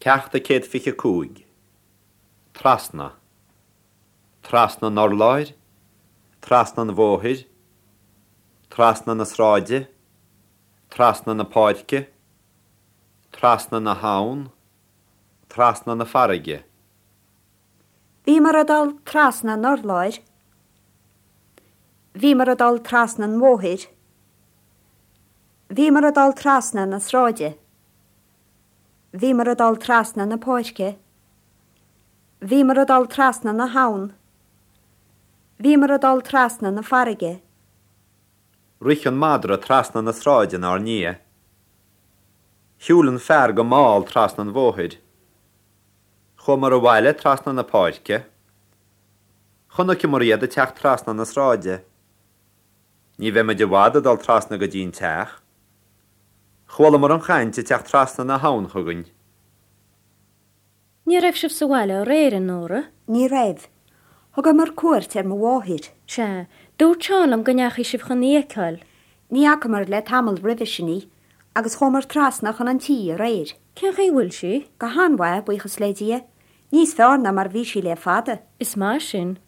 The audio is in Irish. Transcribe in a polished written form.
Ceacht 125. Trasna. Trasna an urláir, trasna an bhóthair, trasna na sráide, trasna na páirce, trasna na habhann, trasna na farraige. Bhíomar ag dul trasna an urláir. Bhíomar ag dul trasna an bhóthair. Bhíomar ag dul trasna na sráide. Bhíomar ag dul trasna na páirce. Bhíomar ag dul trasna na habhann. Bhíomar ag dul trasna na farraige. Rith an madra trasna na sráide inár ndiaidh. Shiúil an fear go mall trasna an bhóthair. Chuamar abhaile trasna na páirce. Chonaiceamar iad ag teacht trasna na sráide. Ní bheimid i bhfad ag dul trasna go dtí an teach. Chualamar an chaint ag teacht trasna na habhann chugainn. Ní raibh sibh sa bhaile aréir, a Nóra? Ní raibh. Thugamar cuairt ar mo mháthair. Sea. Dúirt Seán liom go ndeachaigh sibh chun í a fheiceáil. Ní fhacamar le tamall roimhe sin í, agus chuamar trasna chun an tí aréir. Cén chaoi a bhfuil sí? Go han-mhaith, buíochas le Dia. Níos fearr ná mar a bhí sí le fada. Is maith sin.